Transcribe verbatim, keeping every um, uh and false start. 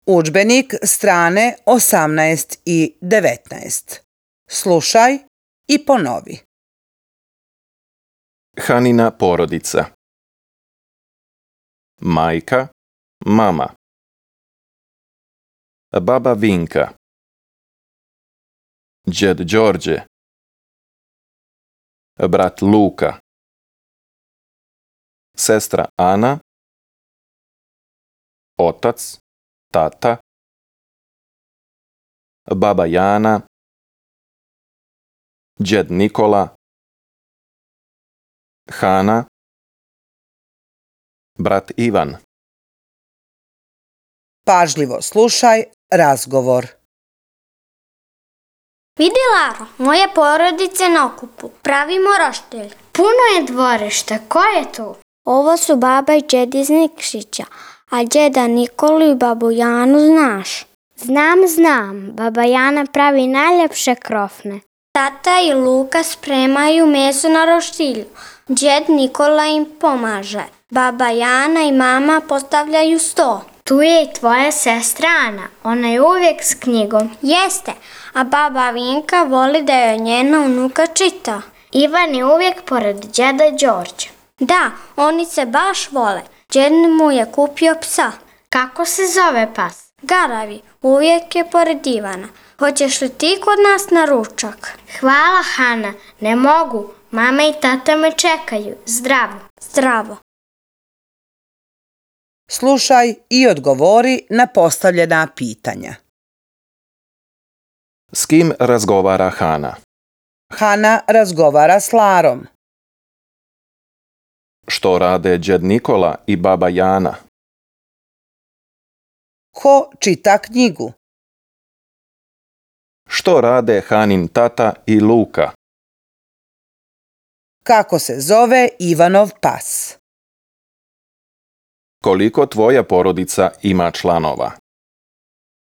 Udžbenik strane osamnaest i devetnaest. Slušaj i ponovi. Hanina porodica. Majka, mama. Baba Vinka. Džed Đorđe. Brat Luka. Sestra Ana. Otac, tata. Baba Jana. Džed Nikola. Hana. Brat Ivan. Pažljivo slušaj razgovor. Vidi, Laro, moje porodice na okupu. Pravimo roštilj. Puno je dvorišta. Ko je tu? Ovo su baba i džed iz Nikšića, a džeda Nikolu i babu Janu znaš. Znam, znam. Baba Jana pravi najljepše krofne. Tata i Luka spremaju meso na roštilju. Džed Nikola im pomaže. Baba Jana i mama postavljaju sto. Tu je i tvoja sestra Ana. Ona je uvijek s knjigom. Jeste, a baba Vinka voli da joj njena unuka čita. Ivan je uvijek pored džeda Đorđa. Da, oni se baš vole. Džed mu je kupio psa. Kako se zove pas? Garavi, uvijek je pored Ivana. Hoćeš li ti kod nas na ručak? Hvala, Hana, ne mogu. Mama i tata me čekaju. Zdravo. Zdravo. Slušaj i odgovori na postavljena pitanja. S kim razgovara Hana? Hana razgovara s Larom. Što rade džed Nikola i baba Jana? Ko čita knjigu? Što rade Hanin tata i Luka? Kako se zove Ivanov pas? Koliko tvoja porodica ima članova?